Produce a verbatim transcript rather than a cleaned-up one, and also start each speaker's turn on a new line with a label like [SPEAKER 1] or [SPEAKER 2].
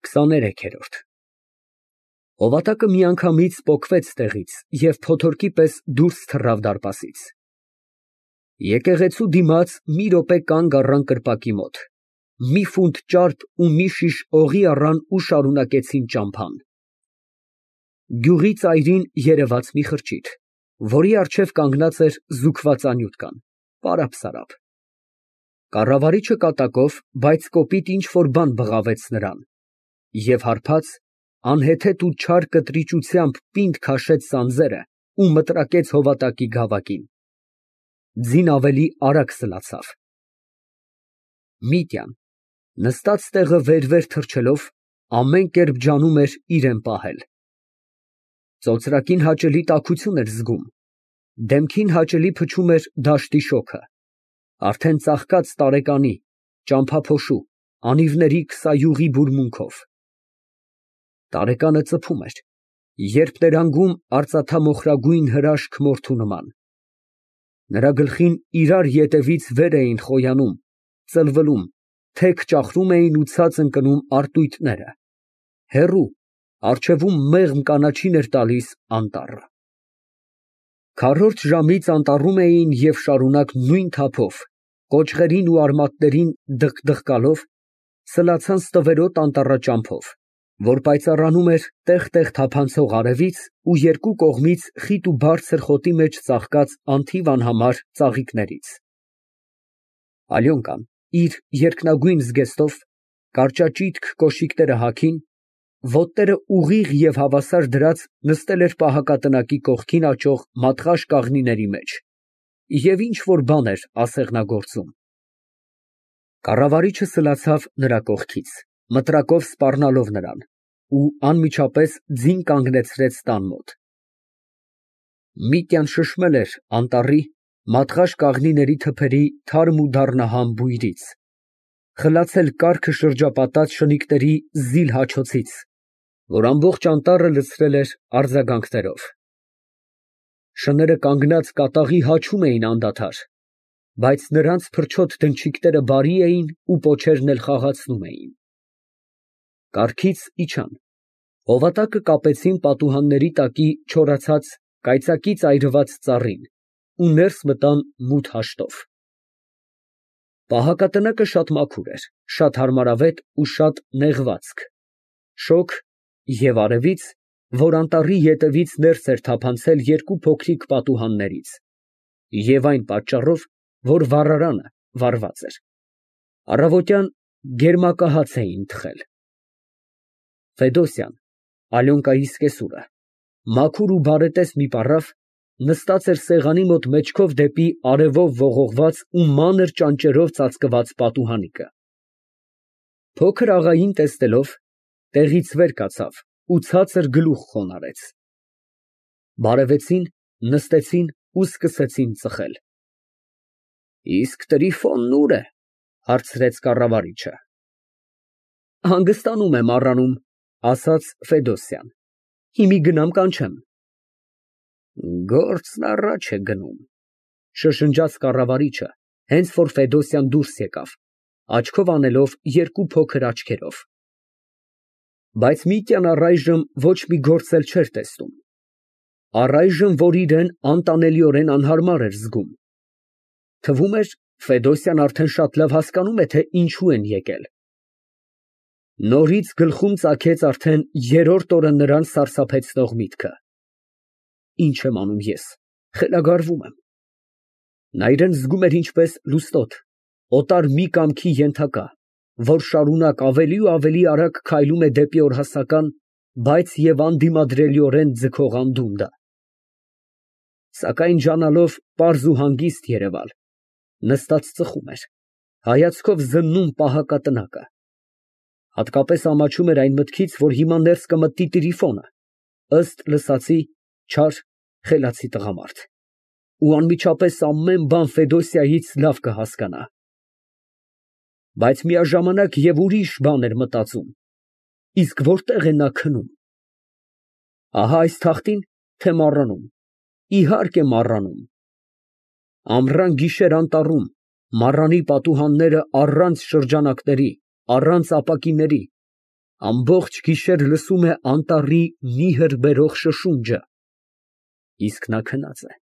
[SPEAKER 1] քսաներեքերորդ Հովատակը միանգամից պոկվեց տեղից և փոթորկի պես դուրս թռավ դարպասից. եկեղեցու դիմաց մի րոպե կանգ առան կրպակի մոտ, մի ֆունտ ճարպ ու մի շիշ օղի առան ու շարունակեցին ճամփան։ Գյուղի ծայրին երևաց մի խրճիթ, որի առջև կանգնած էր զուգված անյութկան, պարապ֊սարապ։ Կառավարիչը կատակով, բայց կոպիտ ինչ֊որ բան բղավեց նրան և հարբած, անհեթեթ ու չար կտրիճությամբ պինդ քաշեց սանձերը ու մտրակեց Հովատակի գավակին։ Ձին ավելի արագ սլացավ։ Միտյան նստած տեղը վեր֊վեր թռչելով, ամեն կերպ ջանում էր իրան պահել։ Ծոծրակին հաճելի տաքություն էր զգում, դեմքին հաճելի փչում էր դաշտի շոգը, արդեն ծաղկած տարեկանի, ճամփափոշու, անիվների քսայուղի բուրմունքով։ Տարեկանը ծփում էր, երբ ներանգում արծաթամոխրագույն հրաշք մորթու նման։ Նրա գլխին իրար ետևից վեր էին խոյանում, ծլվլում, թեք ճախրում էին ու ցած ընկնում արտույտները, հեռու, առջևում մեղմ կանաչին էր տալիս անտառը։ Քառորդ ժամից անտառում էին և շարունակ նույն թափով, կոճղերին ու արմատներին դղկդղկալով, սլացան ստվերոտ անտառաճամփով, որ պայծառանում էր տեղ֊տեղ թափանցող արևից ու երկու կողմից խիտ ու բարձր խոտի մեջ ծաղկած անթիվ անհամար ծաղիկներից։ Ալյոնկան իր երկնագույն զգեստով, կարճաճիթք կոշիկները հագին, ոտները ուղիղ և հավասար դրած նստել էր պահակատնակի կողքին աճող մատղաշ կաղնիների մեջ և ինչ֊որ բան էր ասեղնագործում։ Կառավարիչը սլացավ նրա կողքից, մտրակով սպառնալով նրան, ու անմիջապես ձին կանգնեցրեց տան մոտ։ Միտյան շշմել էր անտառի, մատղաշ կաղնիների թփերի թարմ ու դառնահամ բույրից, խլացել կառքը շրջապատած շնիկների զիլ հաչոցից, որ ամբողջ անտառը լցրել էր արձագանքներով։ Շները կանգնած կատաղի հաչում էին անդադար, բայց նրանց փրչոտ դնչիկները բարի էին ու պոչերն էլ խաղացնում էին։ Կառքից իջան, Հովատակը կապեցին պատուհանների տակի չորացած, կայծակից այրված ծառին ու ներս մտան մութ հաշտով։ Պահակատնակը շատ մաքուր էր, շատ հարմարավետ ու շատ նեղվածք, շոգ և արևից, որ անտառի ետևից ներս էր թափանցել երկու փոքրիկ պատուհաններից, և այն պատճառով, որ վառարանը վառված էր, առավոտյան գերմակահաց էին թխել։ Ֆեդոսյան, Ալյոնկայի սկեսուրը, մաքուր ու բարետես մի պառավ, նստած էր սեղանի մոտ մեջքով դեպի արևով ողողված ու մանր ճանճերով ծածկված պատուհանիկը։ Փոքր աղային տեսնելով, տեղից վեր կացավ ու ցածր գլուխ խոնարհեց։ Բարևեցին, նստեցին ու սկսեցին ծխել։ ֊ Իսկ Տրիֆոնն ո՞ւր է, ֊ հարցրեց կառավարիչը։ ֊ Հանգստանում է մառանում, ֊ ասաց Ֆեդոսյան։ ֊ Հիմի գնամ կանչեմ։ ֊ Գործն առաջ է գնում, ֊ շշնջաց կառավարիչը, հենց որ Ֆեդոսյան դուրս եկավ, աչքով անելով երկու փոքր աչքերով։ Բայց Միտյան առայժմ ոչ մի գործ էլ չէր տեսնում, առայժմ, որ իրան անտանելիորեն անհարմար էր զգում։ Թվում էր, Ֆեդոսյան արդեն շատ լավ հասկանում է, թե ինչու են եկել։ Նորից գլխում ծագեց արդեն երրորդ օրը նրան սարսափեցնող միտքը. «Ի՞նչ եմ անում ես, խելագարվում եմ»։ Նա իրան զգում էր ինչպես լուստոտ, օտար մի կամքի ենթակա, որ շարունակ ավելի ու ավելի արագ քայլում է դեպի օրհասական, բայց և անդիմադրելիորեն ձգող անդունդը։ Սակայն ջանալով պարզ ու հանգիստ երևալ, նստած ծխում էր, հայացքով զննում պահակատնակը։ Հատկապես ամաչում էր այն մտքից, որ հիմա ներս կմտնի Տրիֆոնը, ըստ լսածի, չար, խելացի տղամարդ, ու անմիջապես ամեն բան Ֆեդոսիայից լավ կհասկանա։ Բայց միաժամանակ և ուրիշ բան էր մտածում. իսկ որտե՞ղ է նա քնում։ Ահա այս թղթի՞ն, թե մառանում։ Իհարկե մառանում։ Ամռան֊գիշեր անտառում, մառանի պատուհանները առանց շրջանակների, առանց ապակիների, Ամբողջ գիշեր լսում է անտառի նիհր բերող շշունջը, իսկ նա քնած է։